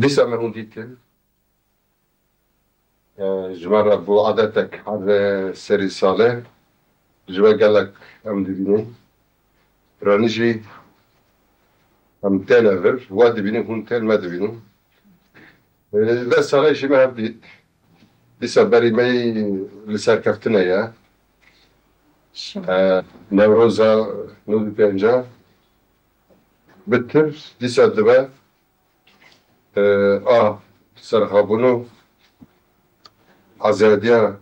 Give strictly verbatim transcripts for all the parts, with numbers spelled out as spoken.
Dîsa me hûn dîtin. E, ji me re bû adetek her serî salê. Ji we gelek em dibînin. Piranî jî em têne vir. We dibînin, hûn tên me dibînin. E, deh salê jî me hev dît. Dîsa berî me yî li serkeftine ye. E, Newroza nod û pênca bitir dîsa dibe. E, a serxabûn û azadiya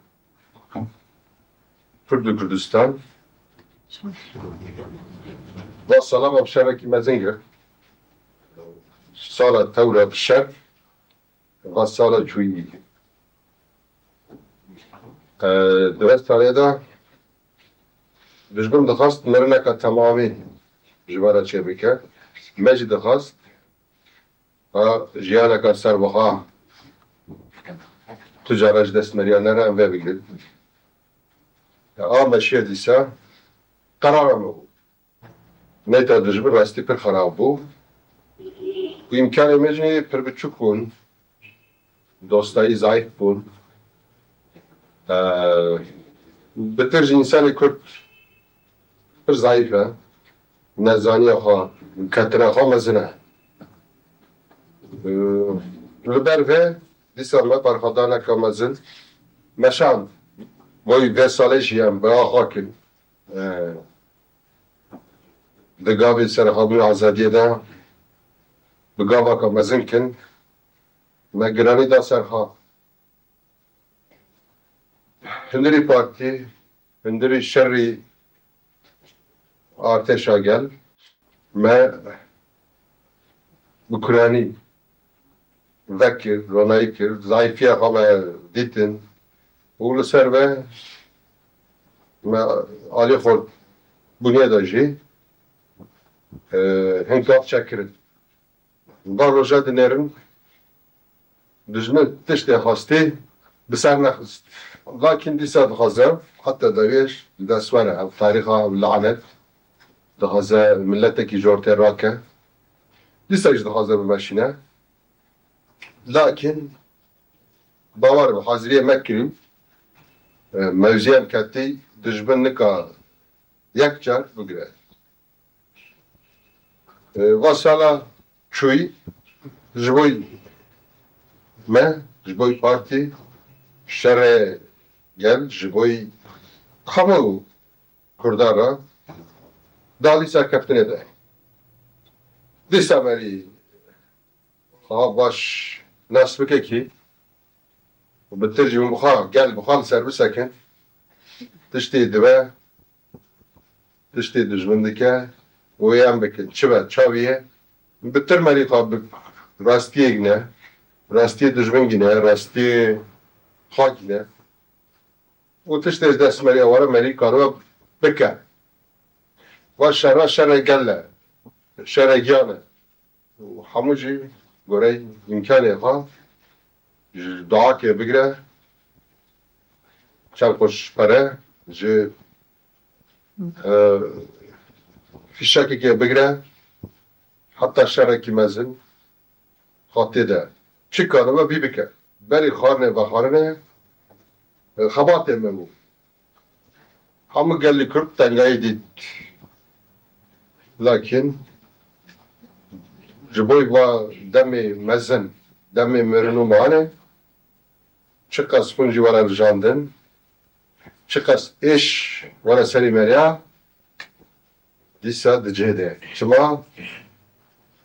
Kurd û Kurdistan. Va sala me bi şerekî mezin girt. Sala tewra bi şer, va sala çûyî. E, di vê salê de dijmin dixwest mirineka temamî ji me re çêbike. Me jî dixwest Ha, jiyaneka serbiha tu cara ji dest meriya nere, em vê bigrin. Ya, a me şiye dîsa, qerara me bû. Neyta dijmin rastî pir xerab bû. Û îmkanê me jî pir biçûk bûn. Dostayî zayîf bûn. Ee, bitir jî însanê Kurd pir zayîf e. Nezaniya xwe, ketina xwe mezin e. Ee, li ber vê dîsa me berxwedaneke mezin meşand. Boy vê salê jî em bi axa kin. Ee, di gavê serxabûn azadiyê de bi gavaka mezin kin. Me giranî da ser xwe. Hundirî partî, hundirî şerî artêşa gel. Me bi kuranî vekir, ronayî kir, zayîfiya xwe me dîtin û li ser ve me alî xurt bûnê de jî, e, hin gav çekirin. Van roja dinêrin, dijmin tiştê xwestî bi ser nexist. Lakin dîsa dixwaze, heta dawiyê ji dest were, ev tarîxa, ev lanet, dixwaze miletekî ji ortê rake. Dîsa jî dixwaze bimeşîne. Lakin bawer be, haziriyê me kirî, e, mewziyê em ketî, dijmin nika yek car bigire. E, va sala çûyî ji bo me, ji bo partî, şerê gel, ji bo hemû Kurdan re dalî serkeftinê de. Dîsa merî ha baş nas bike kî, bi tir jî hûn bi xwe, gel bi xwe li ser bisekin, tiştê dibe, tiştê dijmin dike û em bikin. Çi be, çaviye? Bi tir merî xwe bi rastiyê gine, rastiyê dijmin gine, rastiyê xwe gine. Û tiştê ji dest merî eware merî karibe bike. Va şera şere gel e, şere giyan e. Û hemû jî gorey îmkanê xwe ji duakê bigire, çend quş pere, ji, e, fîşekekê bigire, heta şerekî mezin xwe tê de çi karibe vî bike. Berî xwarinê vexwarinê, e, xebatê me bû. Hemû gelî Kurd tengayî dît. Lakin ji bo va demê mezin, demê mirin û manê, çiqas xwîn jî were rijandin, çiqas êş were serî meriya, dîsa di cihê de. Çima?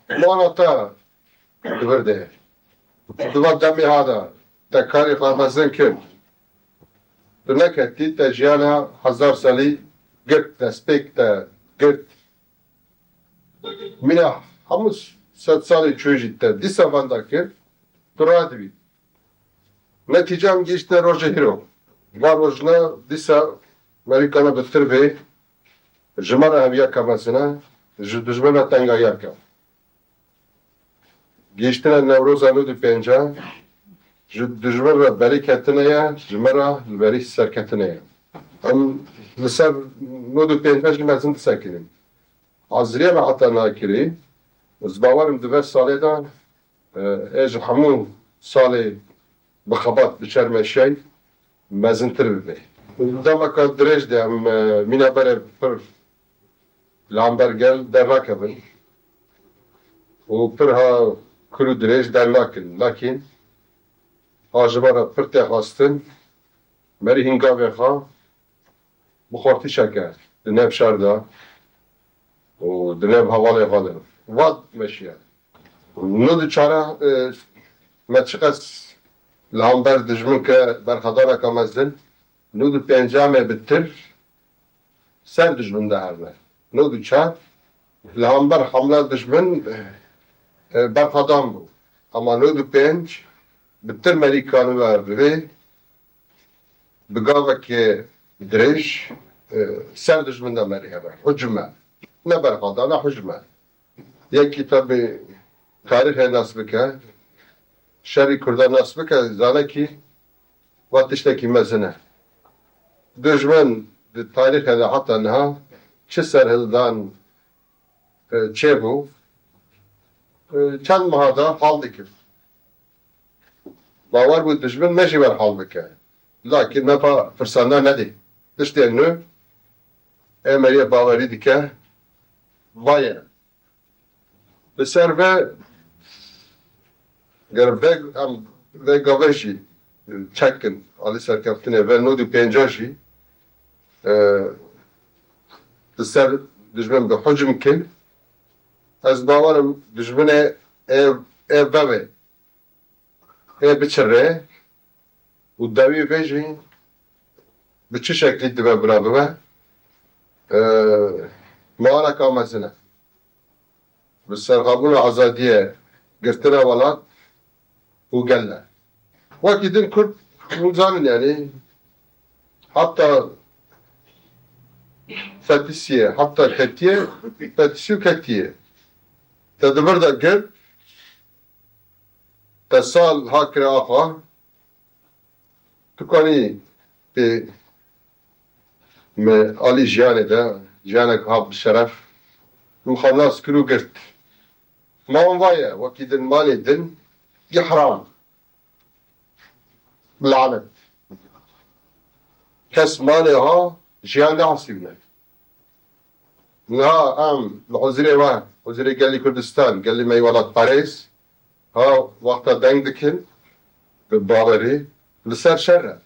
Mana te di vir de. Di va demê ha de te karê xwe mezin kir. Tu neketî, te jiyana hezar salî girt, destpêk te girt. Mîna hemû sed salê çûyî jî te dîsa venda kir, tu radibî. Netîce em gihîştine rojê hîro. Va rojine dîsa merîkana bi tir bê, ji me re heviyeke mezin e, ji dijmin re tengayiyeke. Gihîştine Newroza nod û pênca, ji dijmin re berî ketine ye, ji me re li berî serketine ye. Em li ser nod û pênca jî mezin disekinin. Haziriya me heta nakirî, ez bawer im di vê salê de e, ê ji hemû salê bi xebat, bi çermeşiyayî mezintir bibe. Demeka dirêj de em, e, mîna berê pir li hember gel dernakevin û pir ha kul û dirêj dernakin. Lakîn ha ji me re pir tê xwestin, merî hingavê xwe bi xortîşeke di nêv şer de û di nêv hevalê xwe de vat meşiye. Nod û çar, e, me çiqas li hember dijmin ke berxwedaneke mezin, nod û pênc em ê bi tir ser dijmin de herne. Nod û çar li hember hemla dijmin, e, berxwedan bû. Ema nod û pênc bi tir merî kanibe rivê bi gavekê dirêj, e, ser dijmin de merî hebe. Hucme. Ne berxwedan e, hucme. Yekî tabi tarîxê nas bike, şerî Kurdan nas bike, zane kî va tiştekî mezin e. Dijmin di tarîxê de heta niha çi serhildan, e, çêbû, e, çend meha de hal dikir. Bawer bû dijmin me jî wer hal bike. Lakîn me pa firsanda nedî. Tiştê nû ê meriyê bawerî dike. Vaye. Li ser ve ger ve em ve gave jî çekin alî serkeftinê ve nod û pênca jî, e, li ser dijmin bi hucm kin. Ez bawerim dijminê ê, ê vevê, ê biçirê û dawî vê jî bi çi şeklî dibe bira bibe, e, maleka mezin e. Bi serxabûna azadiyê girtina welat û gel e. Wekî din Kurd hûn zanin, yanî heta fetisiyê, heta ketiye, fetisî û ketiye. Te di vir de girt, te sal ha kire axa, tu kanî pê me alî jiyanê de, jiyanek ha bi şeref, min xwe nas kir û girt. Ma wan vaye, wekî din malê din, ihram. Lanet. Kes malê ha jiyan nehesibne. Niha em li huzirê we, huzirê gelî Kurdistan, gelî me yî welatparêz, ha wexta deng dikin, bi bawerî, li ser şer e.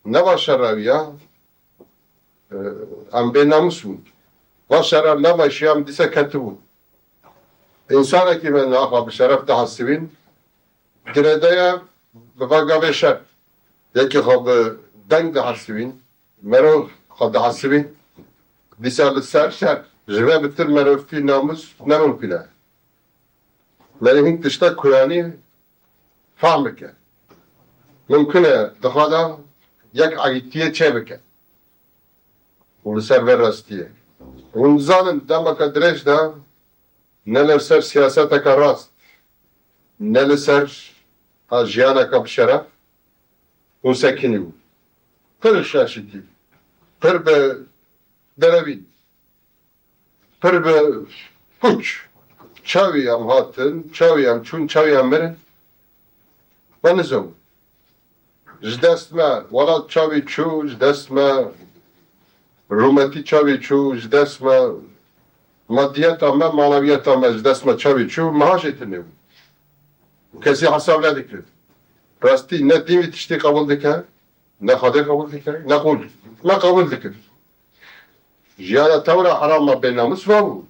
Neva şerra wî ya, e, em bê namûs bûn. Va şerra neva şiya em dîsa ketibûn. Însanekî me niha xwe bi şeref dihesibîn, girêdaya bi va gavê şer. Yekî xwe bi deng dihesibîn, merov xwe dihesibîn, dîsa li ser şer. Ji vê bitir merovtî, namûs ne mimkun e. Merî hin tişta kuranî fehm bike. Mimkun e di xwe de yek egîtiyê çêbike. Û li ser vê rastiyê. Hûn dizanin demeke dirêj de ne li ser siyaseteke rast, ne li ser a jiyaneke bi şeref hûn sekinî bû. Pir şaşitî, pir bi derevî. Pir bi puç. Çawî em hatin, çawî em çûn, çawî em mirin. Me nizewin. Ji dest me welat çawî çû, ji dest me rûmetî çawî çû, ji dest me madiyeta me, manewiyeta me ji dest me çawî çû, meha jê tune bû. Kesî hesab nedikir. Rastî ne dîn vî tiştî qebûl dike, ne Xwedê qebûl dike, ne qûl. Me qebûl dikir. Jiyana tewra herama bênamûs vabû.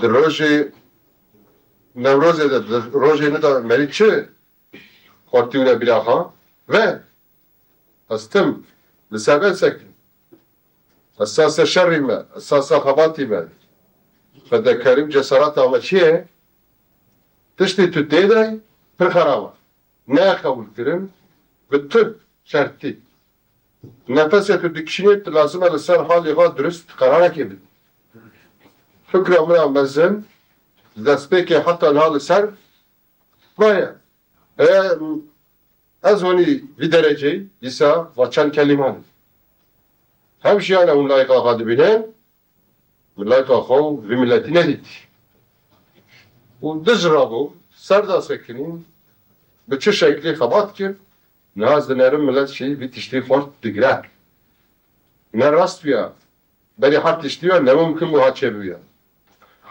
Di rojê Newrozê de, di rojê ne de merî çi xortî wine bîra xwe? Ve ez tim li ser vê sekin. Esasa şerî me, esasa xebatî me, fedekarî û cesareta me çi ye? Tiştê tu tê de pir xerab e. Ne qebûl kirin, bi tu şertî. Nefesê tu dikişînê, tu lazim e li ser halê xwe durist qerarekê bidî. Fikra min a mezin, destpêkê heta niha li ser va ye. E, ez honî vî dereceyî, dîsa va çend kelîman. Hem jiyana hûn layqa xwe dibînin, min layqa xwe û vî miletî nedît. Û dij rabû, ser de sekinî, bi çi şeklî xebat kir, niha ez dinerim milet jî vî tiştî xort digire. Ne rast bûya, berî her tiştî ya, ne mumkin bû ha çêbûya.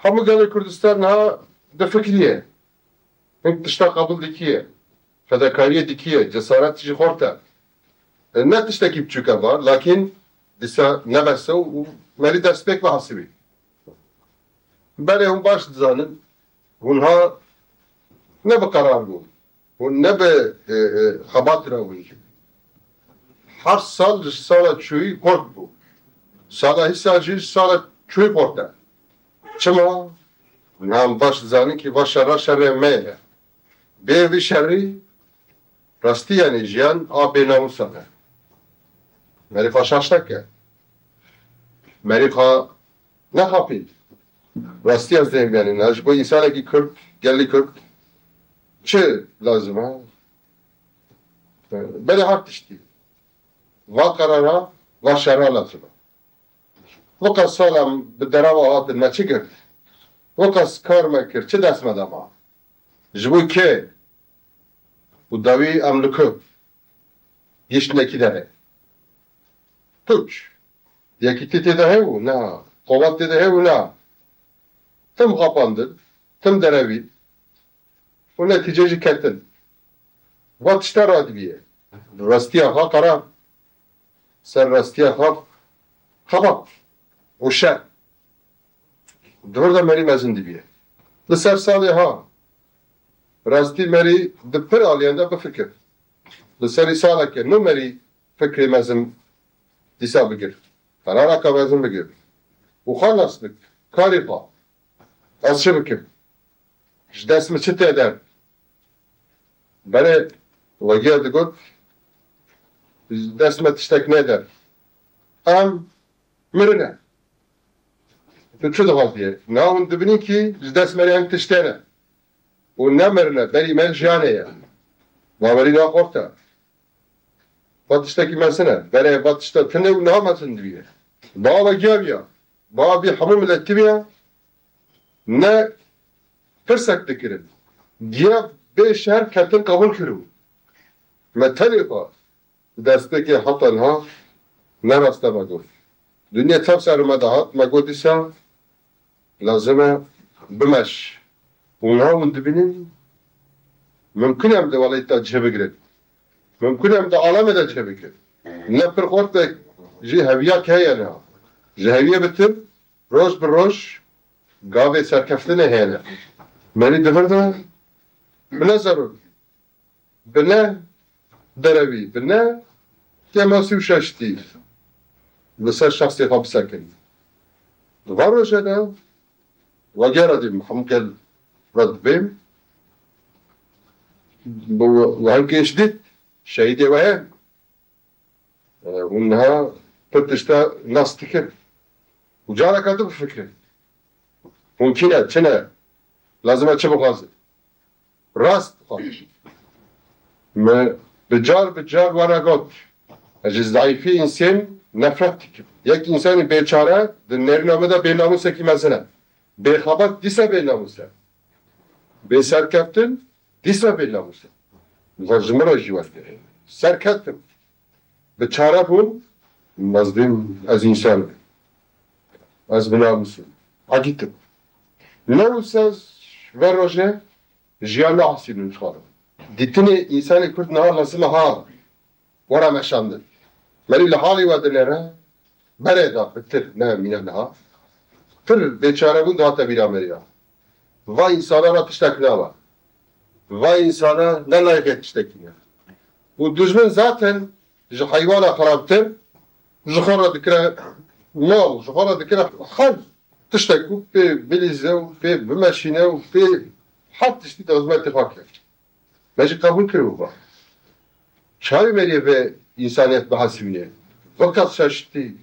Hemû gelê Kurdistan niha difikiriye. Hin tişta qebûl dikiye. Fedakariyê dikiye, cesaret jî xort e. E, ne tiştekî biçûk e var, lakîn dîsa ne bes e û merî destpêk bihesibî. Belê hûn baş dizanin, hûn ha ne bi qerar bûn, hûn ne bi, e, e, xebat re bûn. Her sal ji sala çûyî xort bû. Sala hîsa jî ji sala çûyî xort e. Çima? Hûn hem baş dizanin kî va şerra şerê me ye. Bê vî şerî rastî, yanî jiyan a bênamusan e. Merî xwe şaş neke. Merî xwe nexapî. Rastî ez dêm, yanî ne ji bo însanekî Kurd, gelî Kurd çi lazim e? Belê her tiştî. Va qerara, va şerra lazim e. Weka salam bi derawa hatin me çi girt? Weka kar me kir, çi dest me de ma? Ji bo kê? Û dawî em li ku gihiştine kî derê? Puç. Yekîtî tê de hebû? Na. Qowet tê de hebû? Na. Tim xapandin, tim derevî. Û netîce jî ketin. Va tişta radibîye. Rastiya xwe qeran. Ser rastiya xwe xebat û şer. Di vir de merî mezin dibîye. Li ser salê ha, rastî merî di pir aliyan de bifikir. Li serî saleke nû merî fikrê mezin dîsa bigir. Qeraraka mezin bigir. Û xwe nas bik. Karê xwe. Ez çi bikim? Ji dest min çi tê der? Berê wegiya digot, ji dest me tiştek neder. Em mirine. Tu çi dixwazî? Na hûn dibînin kî ji dest me re em tiştê ne. Û nemirine, berî me jiyanê ye. Bawerî naxorte. Va tiştekî mezin e. Berê va tişta tune û niha mezin dibiye. Ba wegiya biya. Ba vî hemû miletî biya. Ne pirsek dikirin. Giya bê şer ketin qebûl kiribû. Me tenê xwe destpêkê heta niha ne rast e me got. Dinya tev ser me de hat, me got dîsa lazim e bimeş. Û niha hûn dibînin, mimkun e em di welatê de cih bigirin. Mimkun e em di alemê de cih bigirin. Ne pir xortek jî heviyek heye niha. Ji heviyê bitir, roj bi roj gavê serkeftinê hene. Merî di vir de bi ne zerûr, bi ne derevî, bi ne kêmasî û şaştî li ser şexsê xwe bisekin. Di van rojê de wegera dî hemû gel re dibêm, bi we-, wehemkê ji dît şehîdê we hene. E, hûn niha pir tişta nas dikin. Û careka din bifikirin. Hûn kî ne, çi ne? Lazim e çi bixwazin? Rast bixwazin. Me bi car bi car we re got. Ez ji zayîfî însên nefret dikim. Yek însanî bêçare di nêrîna me de bênamûsekî mezin e. Bêxebat dîsa bênamûs e. Bêserkeftin dîsa bênamûs e. Ji min re jî weke. Serkeftim. Bi çare bûn, mezlîm ez însan im. Ez bi namûs im. Hekî tim. Ne wisa ver rojê jiyan nahesîbin ji xwe re. Dîtinê însanê Kurd niha lazim e ha were meşandin. Merî li halê we dinêre, berê de pitir ne mîna niha. Pir bêçarebûn dihate bîra merî ya. Va însana re tiştek nabe. Va însana ne layîqê tiştekî ne. Û dijmin zaten ji heywana xirabtir, ji xwe re dikire mal, ji xwe re dikire her tiştek ku pê bilîze û pê bimeşîne û pê her tiştî di xizmetê xwe kir. Me jî qebûl kiribû va. Çavi meriyê vê însaniyet bihesibîne? Viqas şaştî,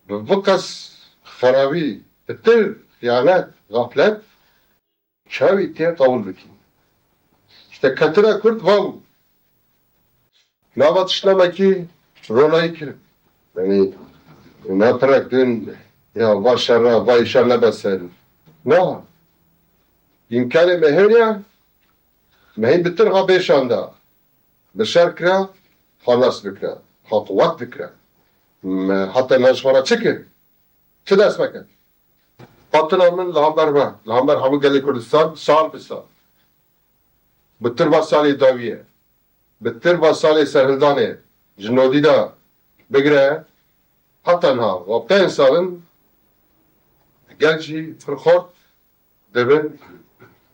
bi viqas xerabî, pitir, xiyanet, xaflet, çavi tê qebûl bikî? İşte ketine Kurd va bû. Nava tiştnamekî ronayî kirin. Yanî, ne pirek din, ya va şerra, va îşa nebe ser. Na. Îmkanê me hêne, Me hîn bi tir ha bêşan da. Bi şer kira, ha nas bikira, ha quwet bikira. Me heta me ji xwe re çi kir? Çi dest me kir? Hatina min li hember me, li hember hemû gelê Kurdistan, sal bi sal. Bi tir va salê dawiyê, bi tir va salê serhildanê ji nodî de bigire heta niha, wa pênc sal in gel jî pir xort dibin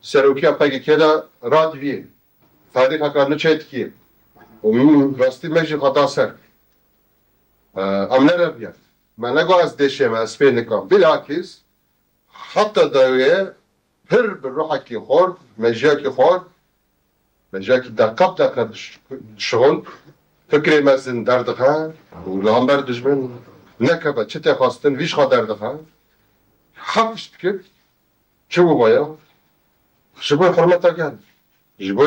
serokiya P K K de radiviyê. Tarîxeka nû çêdikî. Û min rastî me jî xwe da ser. Em nereviyan. Me negot ez dêşê me, ez fê nikim. Bilakis heta dawiyê pir bi ruhekî xort, mejiyekî xort, mejiyekî deqe bi deqe diş-, dişixul, fikrê mezin derdixe û li hember dijmin nekeve çi tê xwestin, vî ji xwe derdixe. Heft tişt dikir. Çi bû vaya? Ji bo hurmeta gel. Ji bo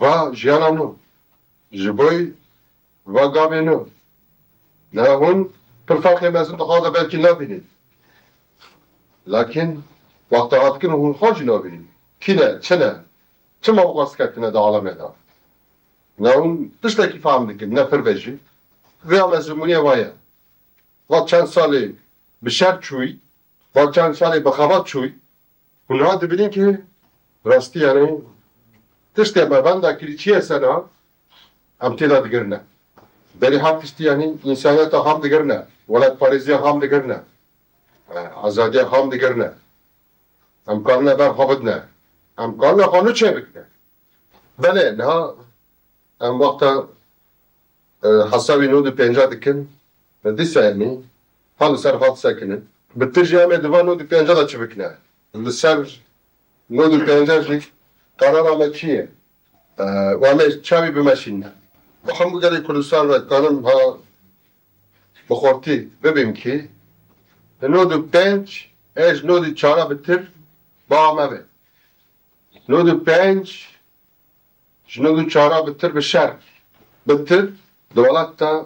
va jiyana nû. Ji bo va gavê nû. Ne hûn pir ferqê mezin di xwe de belkî nabînin. Lakin wexta hat dikin hûn xwe jî nabînin. Kî ne, çi ne? Çima bi xwe siketine di alemê de? Ne hûn tiştekî fehm dikin, ne pir ve jî. Vêya mezimûniyê va ye. Va çend salê bi şer çûyî, va çend salê bi xebat çûyî. Hûn niha dibînin ki rastî, yanî tiştê me benda kirî çi ye sena, em tê de digirine. Berî her tiştî, yanî însaniyeta xam digirine, welatparêziya xam digirine, e, azadiya xam digirine. Em karine ber xwe bidine. Em karine xwe nû çêbikine. Belê, niha em wexta, e, hesabî nod û pênca dikin, dîsa em ê ha li ser xwe disekinin. Bi tir jî em ê di van nod û pênca de çi bikine? Li ser nod û pênca jî qerara me çi ye? E, û em ê çavi bimeşînin. Bi hemû gelê Kurdistan re dikanim ha bi xortî bibêm ki, nod û pênc ê ji nod û çara bi tir ba me be. Nod û pênc ji nod û çara bi tir bi şer, bi tir di welat de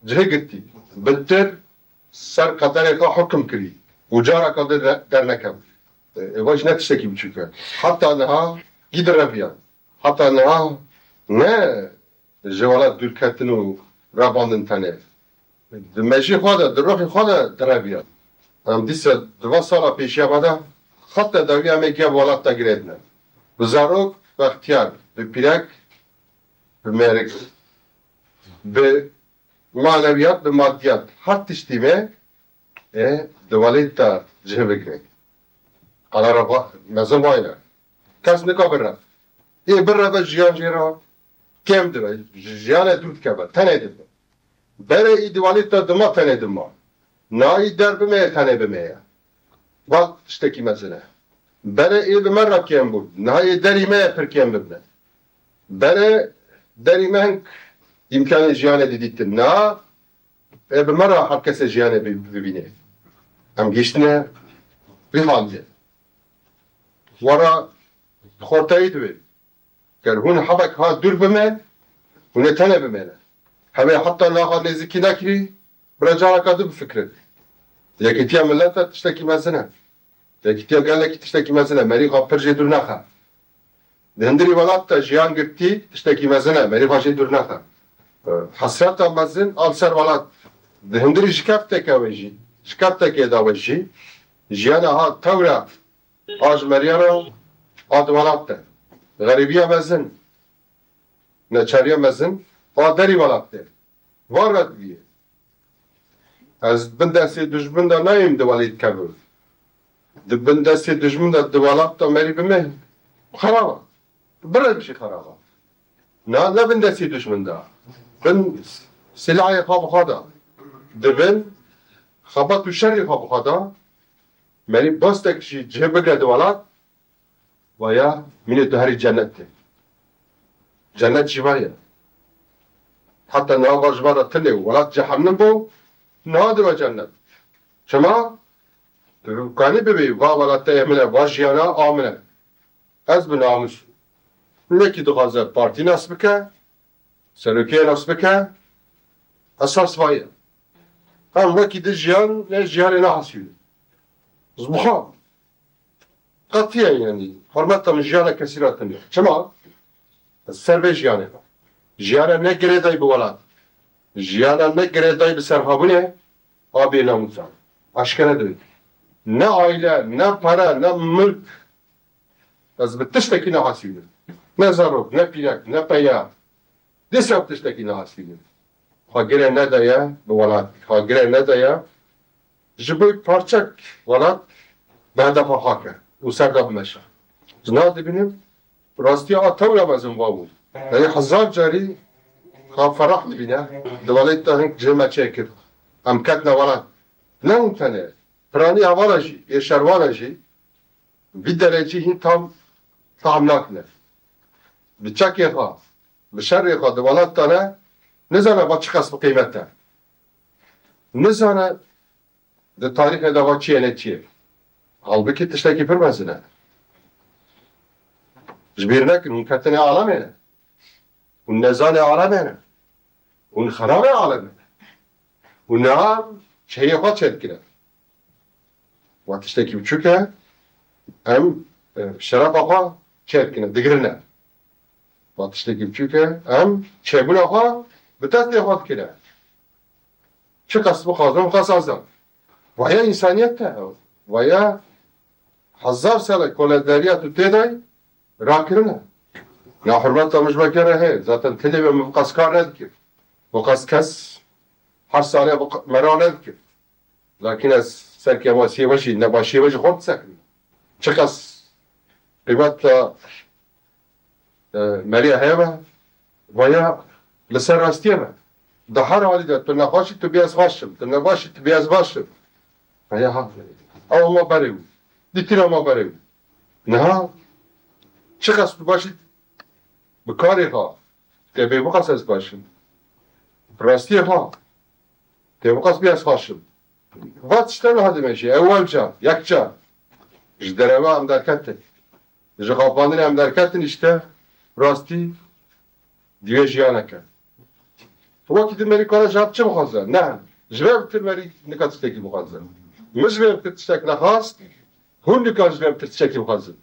cihê girtî, bi tir ser qederê xwe hukm kirî û careke din re-, dernekevî. E, eva jî ne tiştekî biçûk e. Heta niha gî direviyan. Heta niha ne ji welat dûrketin û revandin tenê. Di mejî xwe de, di ruhî xwe de direviyan. Em dîsa di van sala pêşiya me de xeta dawî em ê giya bi welat de girêdine. Bi zarok, bi extiyar, bi pîrek, bi mêrik, bi manewiyat, bi madiyat, her tiştî me ê di welêt de cih bigire. Qala re va-, mezin vayne. Kes nika bire. Ê bireve jiyan jê re kêm dibe. Ji-, jiyanê dûr dikeve. Tenê dibe. Berê î di welêt de dima tenê dima. Na î der bimeye tenê bimeye. Bak tiştekî mezin e. Berê ê bi me re kêm bû. Niha ê derî me ye pir kêm bibine. Berê derî me hink îmkanê jiyanê didîtin. Niha ê bi me re her kesê jiyanê bi-, bibîne. Em gihiştine vî haliyê. Wera xortayî divê. Ger hûn hebek ha dûr bime, hûn ê tenê bimêne. Hemê heta niha nêzîkî nekirî, bira careka din bifikirin. Yekîtiya milete tiştekî mezin e. Yekîtiya gelekî tiştekî mezin e. Merî xwe pir jê dûr nexe. Di hundirî welat de jiyan girtî tiştekî mezin e. Merî xwe jê dûr nexe. Hesreta mezin a li ser welat. Di hundirî şikefteke we jî, şikeftekê de we jî, jiyana ha tewra a ji meriya re a di welat de. Xerîbiya mezin, neçariya mezin a derî welat de. Van re diviyê. Ez bin destê dijmin de nayêm di welêt kevim. Di bin destê dijmin de di welat de merî bime. Xerab e. Birem jî xerab e. Na, ne bin destê dijmin de. Bin silahê xwe bi xwe de. Di bin xebat û şerê xwe bi xwe de. Merî bastek jî cih bigre di welat. Vaya, mînê tu herî cennet e. Cennet jî vaya. Heta niha va ji me re tune welat cehennem bû, niha dibe cennet. Çima? Tu kanî bibî, va welateyê min e, va jiyana a min e. Ez bi namûs. Nekî dixwaze partî nas bike, serokê nas bike, esas vay e. Em wekî di jiyan, ne jiyanê nahesînin. Ez bi xwe. Qetiyen, yanî hurmeta min jiyana kesî re tune. Çima? Ez ser vê jiyanê me. Jiyana ne girêdayî bi welat. Jiyana ne girêdayî bi serxwebûnê a bênamûsan. Aşkere dibê. Ne aîle, ne pere, ne milk. Ez bi tiştekî nehesînim. Ne zarok, ne pîrek, ne peya. Dîsa bi tiştekî nehesînim. Xwe gire nedaye bi welat. Xwe gire nedaye ji bo parçek welat bi hedefa xwe ke û ser de bimeşe. Ji nav dibînim, rastiya a tewra mezin va bû. Yanî hezar carî xwe ferah dibîne, di welatê de hing cihê me çêkir. Em ketine welat. Ne hûn tenê, piranî hevala jî, ê şerwana jî, vî derecî hîn tam tahm nakine. Bi çekê xwe, bi şerê xwe di welat de ne, nizane va çiqas bi qîmet e. Nizane di tarîxê de va çi ye ne çi ye. Halbikî tiştekî pir mezin e. Ji bîr nekin, hûn ketine alemê ne. Hûn nezanê alemê ne. Hûn xerabê alemê ne. Û niha çeyê xwe çêdikine. Wa tiştekî biçûk e, em, e, şerefa xwe çêdikine, digirine. Wa tiştekî biçûk e, em çêbûna xwe bi destê xwe dikine. Çiqas bixwazin, xwe sazan. Vaya însaniyet e. Vaya hezar sale koledariya tu tê de rakirine. Ya hurmeta min ji me kere heye. Zaten tilê me min qas kar nedikim. Bu qas kes her sale bu q-, mera nedikim. Lakin ez serkê me sêve jî, nebaşiyê me jî xort sekin. Çiqas qîmeta, e, meriya heye me, vaya li ser rastiyê me. Di her halî de tu nexweş î, tu bê ez xweş im, tu nebaş î, tu bê ez baş im. Vaya ha. Ew ma berê bû. Dîtina ma berê bû. Niha çiqas tu baş î bi karê xwe, te bê biqas ez baş im. Bi rastiyê xwe, te biqas bê ez xweş im. Va tiştê niha dimeşe, ewel car, yek car. Ji derewa em derketin. Ji xapandinê em derketin, îşte rastî divê jiyaneke. Wekî din merî kare ji hev çi bixwaze? Ne. Ji vê bitir merî nika tiştekî bixwaze. Min ji vê bitir tiştek nexwast, hûn nika ji vê bitir tiştekî bixwazin.